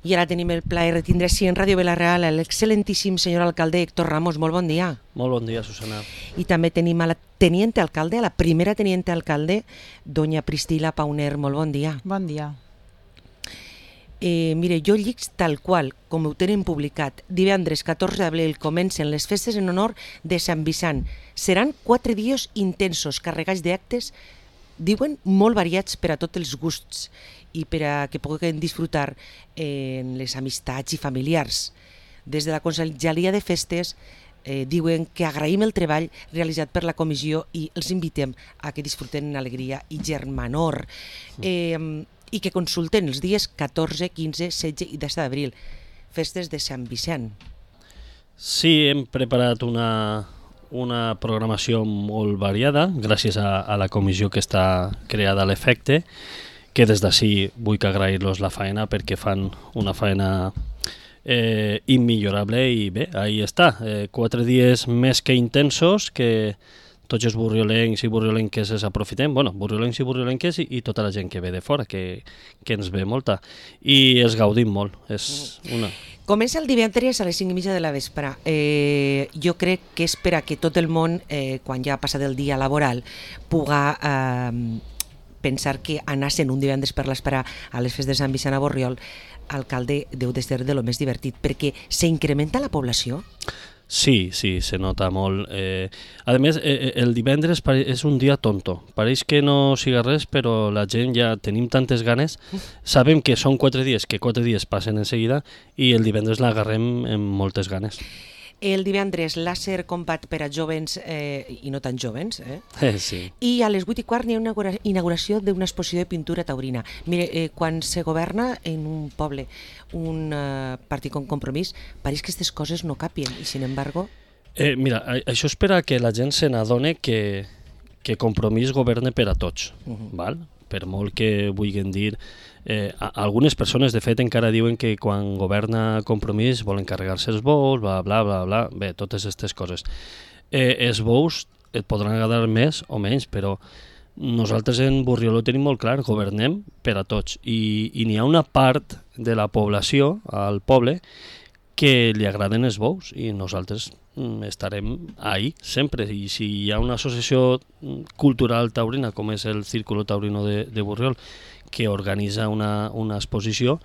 I ara tenim el plaer de tindre així en Ràdio Vila-real l'excel·lentíssim senyor alcalde Héctor Ramos. Molt bon dia. Molt bon dia, Susana. I també tenim a la teniente alcalde, a la primera teniente alcalde, doña Priscila Pauner. Molt bon dia. Bon dia. Mire, jo llic tal qual, com ho tenen publicat. Divendres 14 d'abril comencen les festes en honor de Sant Vicent. Seran 4 dies intensos, carregats d'actes, diuen, molt variats per a tots els gusts i per a que puguin disfrutar en les amistats i familiars. Des de la Conselleria de Festes diuen que agraïm el treball realitzat per la comissió i els invitem a que disfruten en alegria i germanor. I que consulten els dies 14, 15, 16 i 17 d'abril, festes de Sant Vicent. Sí, hem preparat una programació molt variada gràcies a la comissió que està creada a l'efecte, que des d'ací vull agrair-los la feina perquè fan una feina immillorable i bé, ahí està. 4 dies més que intensos que tots els burriolencs i burriolenques es aprofitem, burriolencs i burriolenques i tota la gent que ve de fora, que ens ve molta, i els gaudim molt. Comença el divendres a les 5:30 de la vespre. Jo crec que és per a que tot el món, quan ja ha passat el dia laboral, puga pensar que anar-se'n un divendres per l'esperar a les festes de Sant Vicent a Borriol, alcalde, deu de ser de lo més divertit, perquè s'incrementa la població? Sí, se nota molt. A més, el divendres és un dia tonto. Pareix que no siga res, però la gent ja tenim tantes ganes. Sabem que són 4 dies, que 4 dies passen en seguida, i el divendres l'agarrem amb moltes ganes. El divendres làser combat per a jovens i no tan jovens. Sí. I a les 8:15 hi ha una inauguració d'una exposició de pintura taurina. Mire, quan se governa en un poble un partit com Compromís, pareix que aquestes coses no capien i, sin embargo... Mira, això és per a que la gent se n'adone que Compromís governa per a tots, val? Per molt que vulguin dir... algunes persones, de fet, encara diuen que quan governa Compromís volen carregar-se els bous, bla, bla, bla, bla, bé, totes aquestes coses. Els bous et podran agradar més o menys, però nosaltres en Borriol ho tenim molt clar, governem per a tots, i n'hi ha una part de la població, al poble, que li agraden els bous, i nosaltres estarem ahí sempre, i si hi ha una associació cultural taurina, com és el Círculo Taurino de Borriol, que organitza una exposició,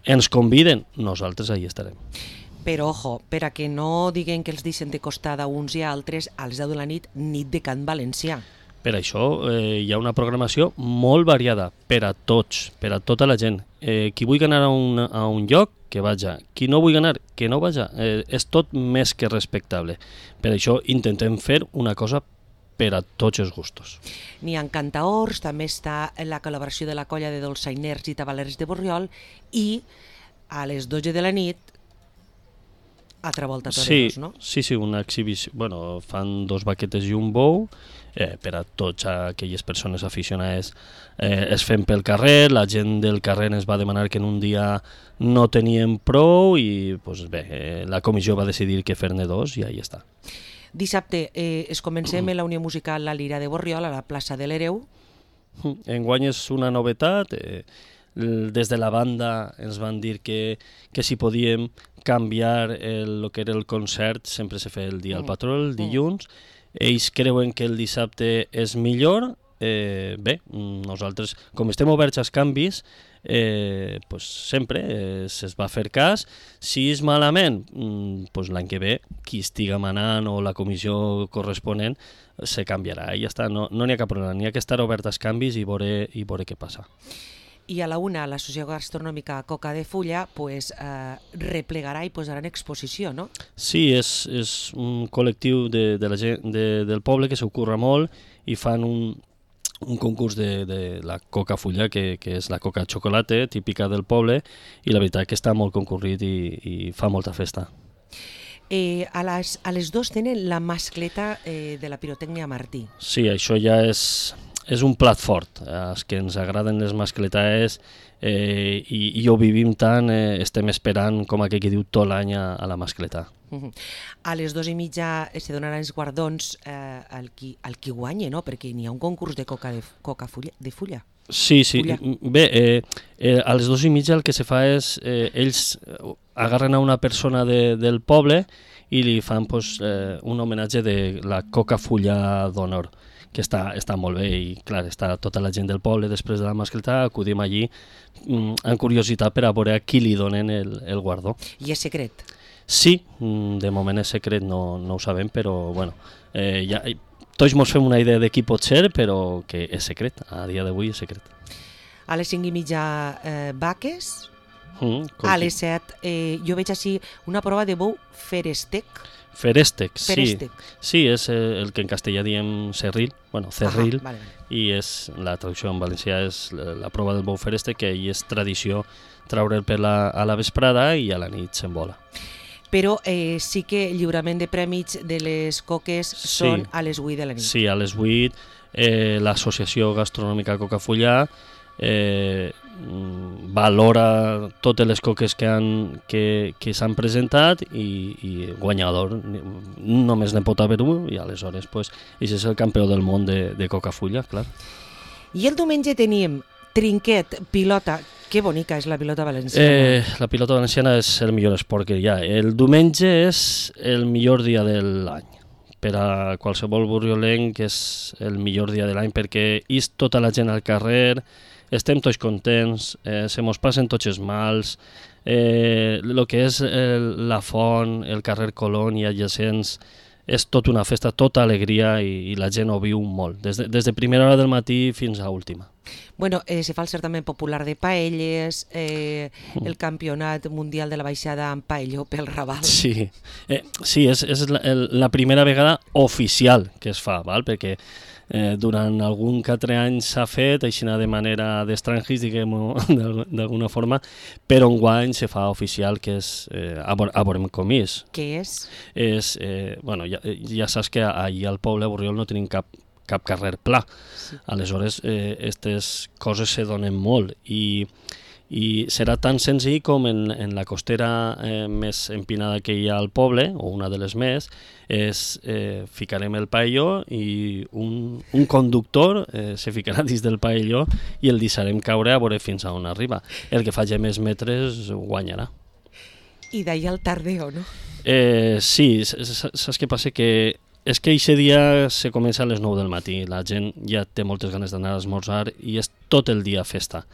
ens conviden, nosaltres ahí estarem. Però, ojo, per a que no diguen que els deixen de costada uns i altres, a les 10 de la nit de Cant Valencià. Per això hi ha una programació molt variada per a tots, per a tota la gent. Qui vulgui anar a un lloc, que vaja. Qui no vulgui anar, que no vaja. És tot més que respectable. Per això intentem fer una cosa per a tots els gustos. N'hi ha cantaors, també està la col·laboració de la colla de dolçainers i tabalers de Borriol, i a les 12 de la nit altra volta a toreros, no? Sí, una exhibició. Fan 2 vaquetes i un bou, per a tots aquelles persones aficionades. Es fem pel carrer, la gent del carrer ens va demanar que en un dia no teníem prou i la comissió va decidir que fer-ne 2 i ahí està. Dissabte es comencem la Unió Musical La Lira de Borriol a la plaça de l'Hereu. Enguany és una novetat. Des de la banda ens van dir que si podíem canviar el que era el concert, sempre se feia el dia al patró, el dilluns. Ells creuen que el dissabte és millor. Nosaltres, com estem oberts als canvis, sempre se's va fer cas. Si és malament, l'any que ve, qui estiga manant o la comissió corresponent se canviarà i ja està. No n'hi ha cap problema, n'hi ha que estar obert als canvis i veure què passa. I a la una, l'Associació Gastronòmica Coca de Fulla replegarà i posarà en exposició, no? Sí, és un col·lectiu de la gent del poble que s'ocorre molt i fan un concurs de la coca fulla, que és la coca xocolate, típica del poble, i la veritat que està molt concurrit i fa molta festa. A les 2 tenen la mascleta de la pirotècnia Martí. Sí, això ja és és un plat fort. Els que ens agraden les mascletaes i ho vivim tant, estem esperant, com aquell que diu, tot l'any a la mascletà. A les 2:30 se donaran els guardons al qui guanya, no? Perquè n'hi ha un concurs de coca de fulla. Sí, sí. Bé, a les 2:30 el que se fa és, ells agarren a una persona del poble i li fan un homenatge de la coca fulla d'honor, que està molt bé i clar, està tota la gent del poble després de la mascletà, acudim allí amb curiositat per a veure a qui li donen el guardó. I és secret? Sí, de moment és secret, no ho sabem, però bueno, ja, tots ens fem una idea de qui pot ser, però que és secret, a dia d'avui és secret. A les 5:30 vaques, a les 7 jo veig així una prova de bou ferestec. Ferèstec, sí. Sí, és el que en castellà diem cerril, cerril, vale. I la traducció en valencià és la prova del bou ferèstec, que hi és tradició traure'l a la vesprada i a la nit s'envola. Però sí que lliurament de prèmits de les coques són a les 8 de la nit. Sí, a les 8, l'Associació Gastronòmica Cocafullà valora totes les coques que s'han presentat i guanyador només ne pot haver un i aleshores és el campió del món de Cocafulla, clar. I el diumenge tenim trinquet, pilota. Que bonica és la pilota valenciana. La pilota valenciana és el millor esport que hi ha. El diumenge és el millor dia de l'any. Per a qualsevol borriolenc és el millor dia de l'any perquè és tota la gent al carrer, estem tots contents, se mos passen tots els mals, el que és la font, el carrer Colón i adjacents, és tota una festa, tota alegria i la gent ho viu molt, des de primera hora del matí fins a última. Bueno, se fa el certamen popular de paelles, el campionat mundial de la baixada amb paelló pel Raval. Sí, és la primera vegada oficial que es fa, val? Perquè durant algun que altre any s'ha fet, així de manera d'estrangis, diguem-ho d'alguna forma, però enguany se fa oficial, que és a veurem com és. Què és? Ja saps que allà al poble a Borriol no tenim cap carrer pla, aleshores aquestes coses se donen molt i serà tan senzill com en la costera més empinada que hi ha al poble, o una de les més, ficarem el paelló i un conductor se ficarà dins del paelló i el deixarem caure a veure fins a on arriba. El que faci més metres guanyarà. I d'ahir al tardeo, no? Sí, saps què passa? Que és que aquest dia se comença a les 9 del matí, la gent ja té moltes ganes d'anar a esmorzar i és tot el dia festa.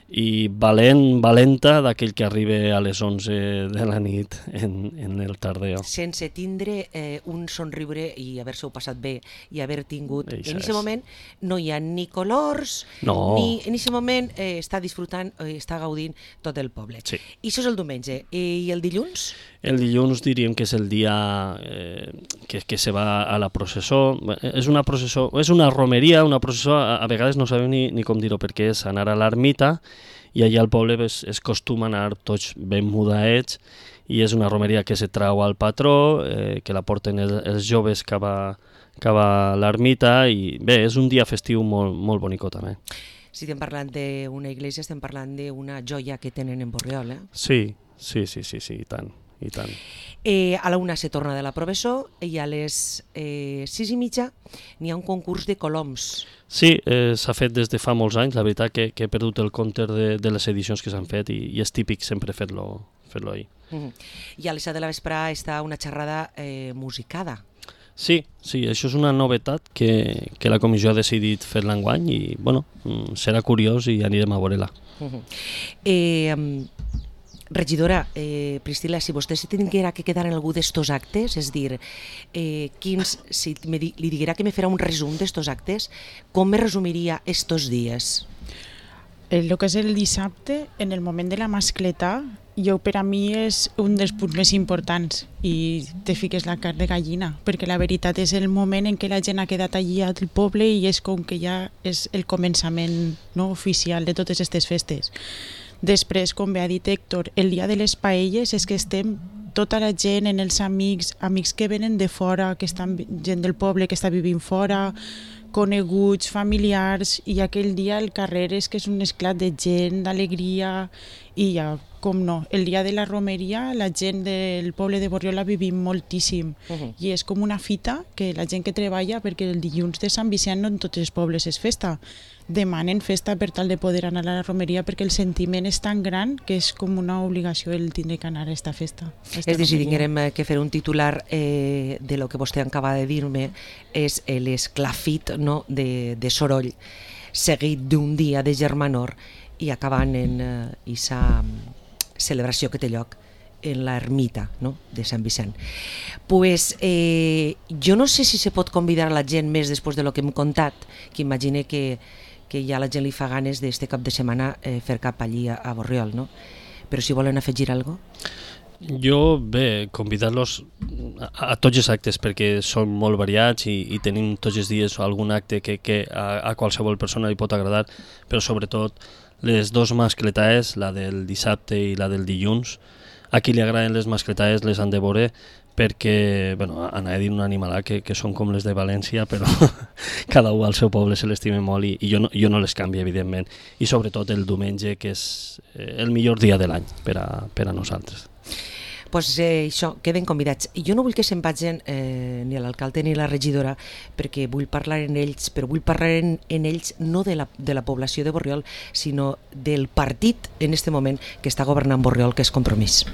I valenta d'aquell que arriba a les 11 de la nit en el tardeo. Sense tindre un somriure i haver-se-ho passat bé i haver tingut... En aquest moment no hi ha ni colors, ni en aquest moment està disfrutant, està gaudint tot el poble. Sí. I això és el diumenge. I el dilluns? El dilluns diríem que és el dia que se va a la processó. És una processó, és una romeria, una processó, a vegades no sabem ni com dir-ho, perquè és anar a l'ermita i allà al poble és costum anar tots ben mudaets i és una romeria que se trau al patró, que la porten els joves cap a l'ermita i bé, és un dia festiu molt bonico també. Si estem parlant d'una església, estem parlant d'una joia que tenen en Borriol, eh? Sí, i tant. A la 1 se torna de la professó i a les 6:30 n'hi ha un concurs de coloms. Sí, s'ha fet des de fa molts anys, la veritat que he perdut el compte de les edicions que s'han fet i és típic sempre fer-lo ahir. I a les 7 de la vesprada està una xerrada musicada. Sí, això és una novetat que la comissió ha decidit fer-la enguany i bueno, serà curiós i anirem a veure-la. Regidora, Priscila, si vostè se tinguera que quedar en algú d'estos actes, és dir, si li diguera que me farà un resum d'estos actes, com me resumiria estos dies? El que és el dissabte, en el moment de la mascletà, per a mi és un dels punts més importants i te fiques la carn de gallina, perquè la veritat és el moment en què la gent ha quedat allí al poble i és com que ja és el començament oficial de totes aquestes festes. Després, com bé ha dit Héctor, el dia de les paelles és que estem tota la gent, els amics que venen de fora, que estan gent del poble que està vivint fora, coneguts, familiars, i aquell dia el carrer és que és un esclat de gent, d'alegria, i ja, com no, el dia de la romeria la gent del poble de Borriol la vivim moltíssim, i és com una fita que la gent que treballa, perquè el dilluns de Sant Vicent no en tots els pobles és festa, demanen festa per tal de poder anar a la romeria perquè el sentiment és tan gran que és com una obligació el tindre que anar a aquesta festa. És a dir, si tinguérem que fer un titular de lo que vostè acaba de dir-me, és l'esclafit, no, de soroll seguit d'un dia de germanor i acabant en aquesta celebració que té lloc en l'ermita, no?, de Sant Vicent. Pues, jo no sé si se pot convidar a la gent més després de lo que hem contat, que imagine que ja la gent li fa ganes d'este cap de setmana fer cap allí a Borriol, no? Però si volen afegir alguna cosa? Jo, bé, convidar-los a tots els actes perquè són molt variats i tenim tots els dies algun acte que a qualsevol persona li pot agradar, però sobretot les dues mascletaes, la del dissabte i la del dilluns. A qui li agraden les mascletaes les han de veure perquè, bueno, anava a dir un animalà que són com les de València, però cada un al seu poble se l'estime molt i jo no les canvio, evidentment. I sobretot el diumenge, que és el millor dia de l'any per a nosaltres. Pues això, queden convidats. I jo no vull que se'n vagin ni l'alcalde ni la regidora perquè vull parlar en ells, però vull parlar en ells no de la població de Borriol, sinó del partit en este moment que està governant Borriol, que és Compromís.